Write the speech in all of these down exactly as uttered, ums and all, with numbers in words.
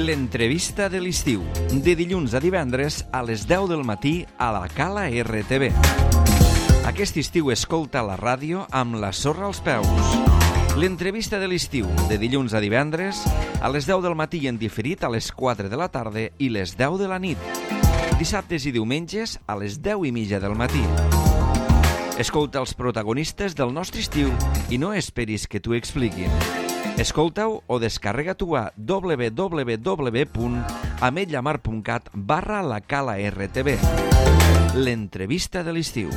L'entrevista de l'estiu, de dilluns a divendres a les deu del matí a la Cala R T V. Aquest estiu escolta la ràdio amb la sorra als peus. L'entrevista de l'estiu, de dilluns a divendres a les deu del matí i en diferit a les quatre de la tarda i les deu de la nit. Dissabtes i diumenges a les deu i mitja del matí. Escolta els protagonistes del nostre estiu i no esperis que t'ho expliquin. Escolta-ho o descarrega-t'ho a w w w punt ametlla mar punt cat barra la Cala R T V. L'entrevista de l'estiu.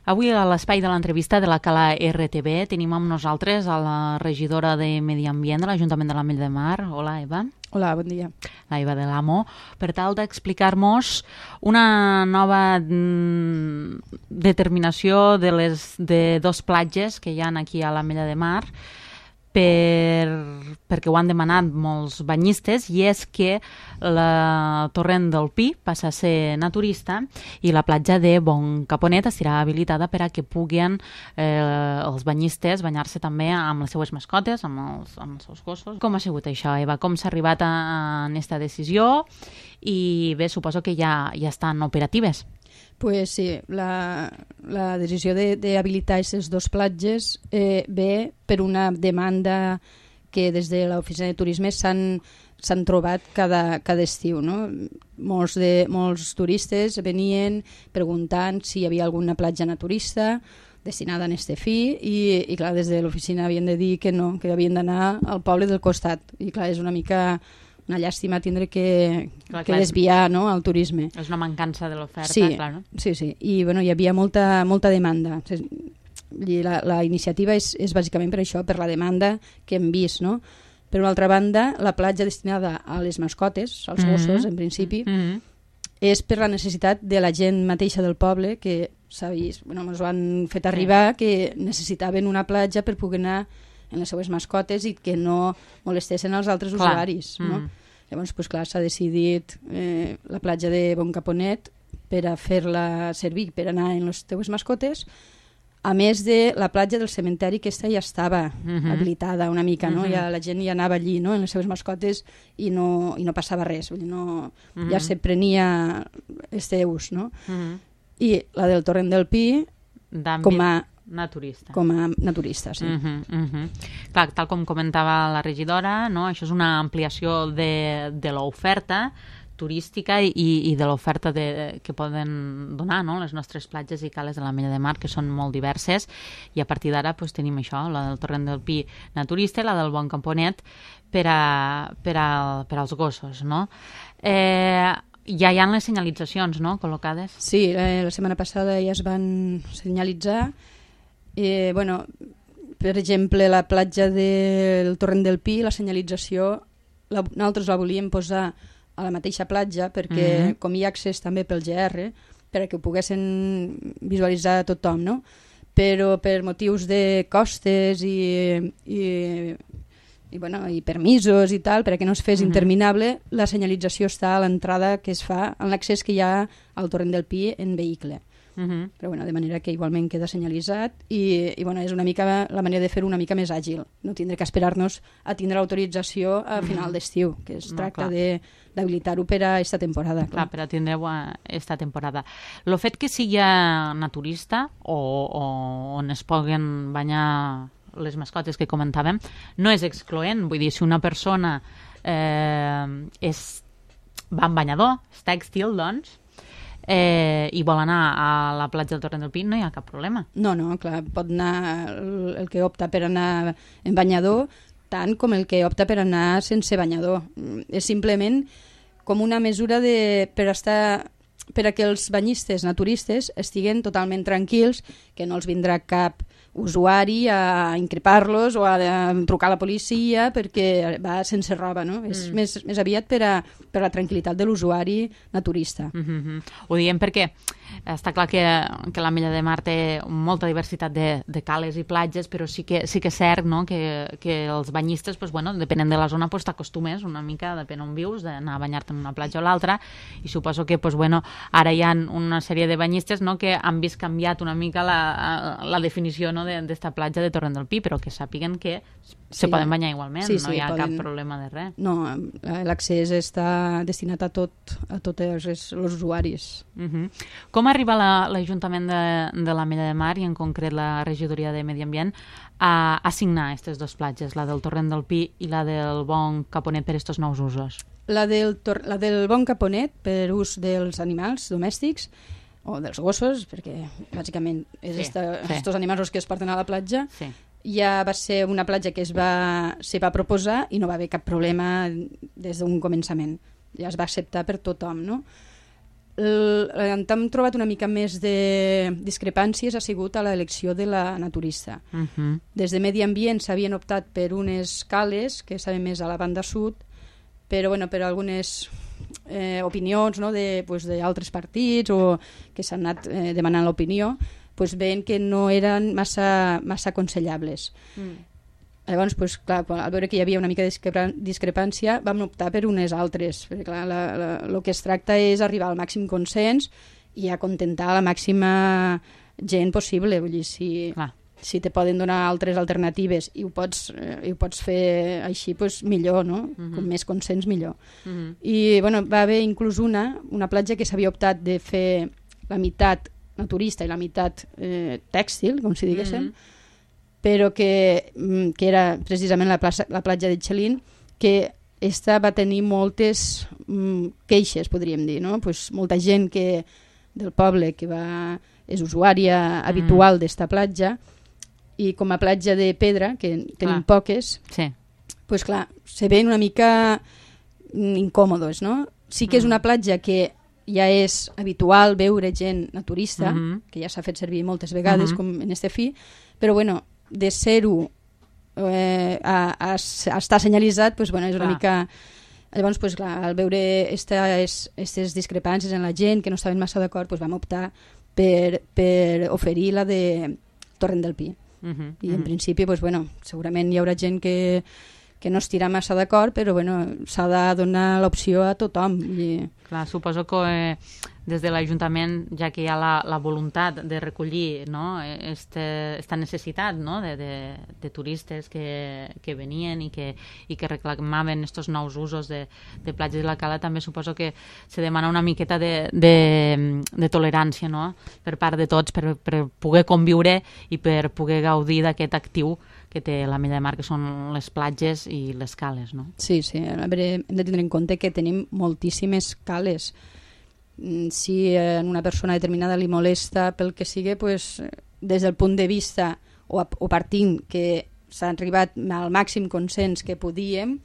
Avui a l'espai de l'entrevista de la Cala R T V tenim amb nosaltres a la regidora de Medi Ambient de l'Ajuntament de l'Ametlla de Mar. Hola, Eva. Hola, bon dia. La Eva de l'Amo, per tal d'explicar-nos una nova mm, determinació de les de dos platges que hi ha aquí a l'Ametlla de Mar, per, perquè ho han demanat molts banyistes, i és que la Torrent del Pi passa a ser naturista i la platja de Bon Caponet estarà habilitada per a que puguin eh, els banyistes banyar-se també amb les seues mascotes, amb els, amb els seus gossos. Com ha sigut això, Eva? Com s'ha arribat a, a aquesta decisió? I bé, suposo que ja, ja estan operatives. Pues sí, la, la decisió d'habilitar aquestes dues platges eh, ve per una demanda que des de l'oficina de turisme s'han s'han trobat cada, cada estiu, no? Molts, de, molts turistes venien preguntant si hi havia alguna platja naturista destinada a este fi i, i clar, des de l'oficina havien de dir que no, que havien d'anar al poble del costat, i clar, és una mica una llàstima tindre que, clar, que clar, desviar, no, el turisme. És una mancança de l'oferta, sí, clar, no? Sí, sí, i bueno, hi havia molta, molta demanda. I la, la iniciativa és, és bàsicament per això, per la demanda que hem vist, no? Per una altra banda, la platja destinada a les mascotes, als gossos, mm-hmm. en principi, mm-hmm. és per la necessitat de la gent mateixa del poble, que s'ha vist, bueno, ens ho han fet arribar, sí. que necessitaven una platja per poder anar en les seues mascotes i que no molestessin els altres clar. usuaris. No? Mm. Llavors, pues, clar, s'ha decidit eh, la platja de Bon Caponet per a fer-la servir per anar en les teues mascotes, a més de la platja del cementeri, que aquesta ja estava mm-hmm. habilitada una mica, no? Mm-hmm. Ja, la gent ja anava allí, no? En les seves mascotes i no, i no passava res, vull dir, no, mm-hmm. ja se prenia este ús, no? Mm-hmm. I la del Torrent del Pi com a naturista. Com a naturista, sí. Uh-huh, uh-huh. Clar, tal com comentava la regidora, no? Això és una ampliació de, de l'oferta turística i, i de l'oferta de, que poden donar, no? Les nostres platges i cales de l'Ametlla de Mar, que són molt diverses, i a partir d'ara pues, tenim això, la del Torrent del Pi naturista i la del Bon Caponet per, a, per, a, per als gossos, no? Eh, ja hi ha les senyalitzacions, no?, col·locades? Sí, eh, la setmana passada ja es van senyalitzar. Eh, bueno, per exemple, la platja del Torrent del Pi, la senyalització, la, nosaltres la volíem posar a la mateixa platja perquè mm-hmm. com hi ha accés també pel G R, per a que ho poguessin visualitzar a tothom, no? Però per motius de costes i, i, i, bueno, i permisos i tal, per a que no es fes mm-hmm. interminable, la senyalització està a l'entrada que es fa en l'accés que hi ha al Torrent del Pi en vehicle. Uh-huh. Però bueno, de manera que igualment queda senyalitzat i, i bueno, és una mica la manera de fer-ho una mica més àgil, no tindre que esperar-nos a tindre l'autorització a uh-huh. final d'estiu, que es no, tracta de, d'habilitar-ho per a esta temporada. Clar, per a tindre-ho a esta temporada. El fet que sigui naturista o, o on es puguen banyar les mascotes que comentàvem no és excloent, vull dir, si una persona eh, és, va amb banyador, és tèxtil, doncs Eh, i vol anar a la platja del Torrent del Pi, no hi ha cap problema. No, no, clar, pot anar el, el que opta per anar en banyador tant com el que opta per anar sense banyador. És simplement com una mesura de, per estar per a que els banyistes naturistes estiguen totalment tranquils, que no els vindrà cap usuari a increpar-los o a, a trucar a la policia perquè va sense roba, no? Mm. És més, més aviat per a, per a la tranquil·litat de l'usuari naturista. Mm-hmm. Ho diem perquè està clar que, que l'Ametlla de Mar té molta diversitat de, de cales i platges, però sí que, sí que és cert, no? que, que els banyistes, pues, bueno, depenent de la zona, pues, t'acostumes una mica, depèn on vius, d'anar a banyar-te en una platja o l'altra, i suposo que pues, bueno, ara hi ha una sèrie de banyistes, no? que han vist canviat una mica la, la definició, no? d'esta platja de Torrent del Pi, però que sàpiguen que se sí, poden banyar igualment, sí, sí, no hi ha poden... cap problema de res. No, l'accés està destinat a tot, a tots els, els usuaris. Uh-huh. Com arriba l'Ajuntament de, de l'Ametlla de Mar i en concret la Regidoria de Medi Ambient a assignar aquestes dues platges, la del Torrent del Pi i la del Bon Caponet per estos nous usos? La del, tor la del Bon Caponet per ús dels animals domèstics o dels gossos, perquè bàsicament és sí, esta, sí. estos animals els que es porten a la platja, sí. ja va ser una platja que es va, se va proposar i no va haver cap problema des d'un començament. Ja es va acceptar per tothom, no? El, on hem trobat una mica més de discrepàncies ha sigut a l'elecció de la naturista. Uh-huh. Des de Medi Ambient s'havien optat per unes cales que estaven més a la banda sud, però bueno, per algunes eh, opinions, no, de, pues, d'altres partits o que s'han anat eh, demanant l'opinió, pues, veient que no eren massa, massa aconsellables. Mm. Llavors, pues, clar, al veure que hi havia una mica de discrepància, vam optar per unes altres, perquè clar, la, la, el que es tracta és arribar al màxim consens i acontentar la màxima gent possible. Vull dir, si... Clar. Si te poden donar altres alternatives i ho pots, eh, i ho pots fer així, pues, millor, no? Uh-huh. Com més consens, millor. Uh-huh. I bueno, va haver inclús una, una platja que s'havia optat de fer la meitat naturista i la meitat eh, tèxtil, com si diguéssim, uh-huh. però que, que era precisament la, plaça, la platja de Xelin, que esta va tenir moltes mm, queixes, podríem dir, no? Pues, molta gent que, del poble que va, és usuària uh-huh. habitual d'esta platja, i com a platja de pedra, que tenim clar. Poques, sí. pues clar, se ven una mica incòmodes, no? Sí que és una platja que ja és habitual veure gent naturista, uh-huh. que ja s'ha fet servir moltes vegades, uh-huh. com en este fi, però bueno, de ser-ho eh, a, a, a estar senyalitzat, pues, bueno, és una clar. Mica... Llavors, pues, clar, al veure aquestes discrepàncies en la gent que no estaven massa d'acord, pues, vam optar per, per oferir la de Torrent del Pi. Uh-huh, i en uh-huh. principi pues, bueno, segurament hi haurà gent que, que no estirà massa d'acord, però bueno, s'ha de donar l'opció a tothom. I... Clar, suposo que eh, des de l'Ajuntament, ja que hi ha la, la voluntat de recollir, no, este, esta necessitat, no, de, de, de turistes que, que venien i que, i que reclamaven estos nous usos de, de platges de la Cala, també suposo que se demana una miqueta de, de, de tolerància, no?, per part de tots, per, per poder conviure i per poder gaudir d'aquest actiu que té l'Ametlla de Mar, que són les platges i les cales, no? Sí, sí. A veure, hem de tindre en compte que tenim moltíssimes cales. Si a una persona determinada li molesta pel que sigui, pues, des del punt de vista o, o partint que s'ha arribat al màxim consens que podíem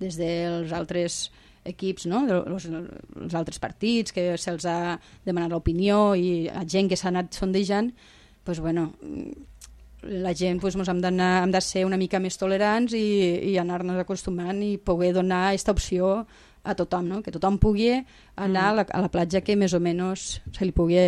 des dels altres equips, no? els, els altres partits, que se'ls ha demanat l'opinió i la gent que s'ha anat sondejant, pues, bueno, la gent pues, hem, hem de ser una mica més tolerants i, i anar-nos acostumant i poder donar aquesta opció a tothom, no? Que tothom pugui anar mm. a, la, a la platja que més o menys se li pugui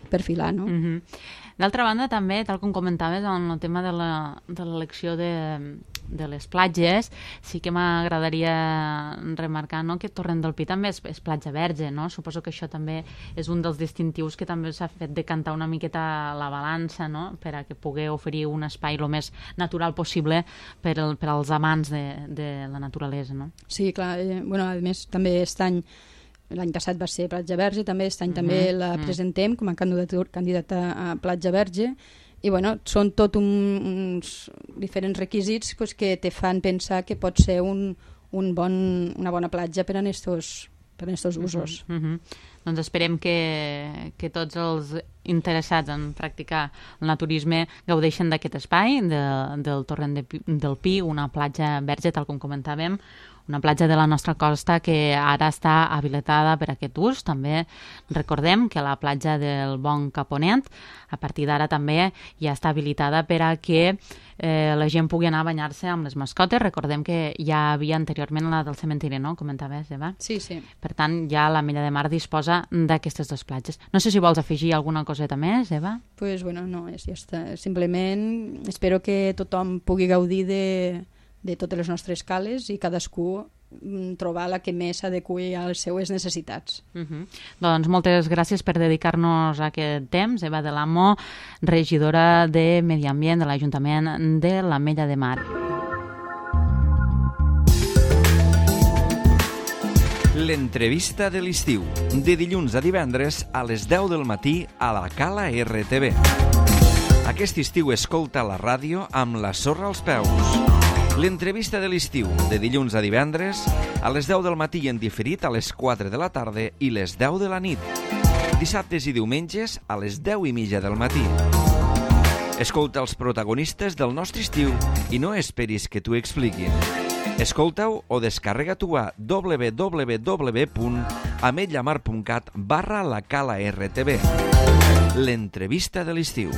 perfilar, no? Mm-hmm. D'altra banda, també, tal com comentaves, en el tema de l'elecció de, de les platges, sí que m'agradaria remarcar, no?, que Torrent del Pi també és, és platja verge, no? Suposo que això també és un dels distintius que també s'ha fet decantar una miqueta la balança, no?, per a que pugui oferir un espai el més natural possible per, el, per als amants de, de la naturalesa, no? Sí, clar. Eh, bueno, a més, també aquest any, l'any passat va ser Platja Verge, també aquest any uh-huh. també la presentem com a candidata a Platja Verge, i bueno, són tot un, uns diferents requisits pues, que te fan pensar que pot ser un, un bon, una bona platja per a estos, per a estos usos. Uh-huh. Uh-huh. Doncs esperem que, que tots els interessats en practicar el naturisme gaudeixen d'aquest espai, de, del Torrent de, del Pi, una platja verge, tal com comentàvem, una platja de la nostra costa que ara està habilitada per a aquest ús. També recordem que la platja del Bon Caponet a partir d'ara també ja està habilitada per a que eh, la gent pugui anar a banyar-se amb les mascotes. Recordem que ja havia anteriorment la del cementiri, no? Comentaves, Eva? Sí, sí. Per tant, ja l'Ametlla de Mar disposa d'aquestes dues platges. No sé si vols afegir alguna coseta més, Eva? Pues bueno, no, és, ja està. Simplement espero que tothom pugui gaudir de, de totes les nostres cales i cadascú trobar la que més s'adequi a les seues necessitats. Uh -huh. Doncs moltes gràcies per dedicar-nos a aquest temps. Eva de l'Amo, regidora de Medi Ambient de l'Ajuntament de l'Ametlla de Mar. L'entrevista de l'estiu, de dilluns a divendres a les deu del matí a la Cala R T V. Aquest estiu escolta la ràdio amb la sorra als peus. L'entrevista de l'estiu, de dilluns a divendres, a les deu del matí en diferit a les quatre de la tarda i les deu de la nit. Dissabtes i diumenges a les deu i mitja del matí. Escolta els protagonistes del nostre estiu i no esperis que t'ho expliquin. Escolta-ho o descarrega-t'ho a w w w punt ametlamar punt cat barra la Cala R T V. L'entrevista de l'estiu.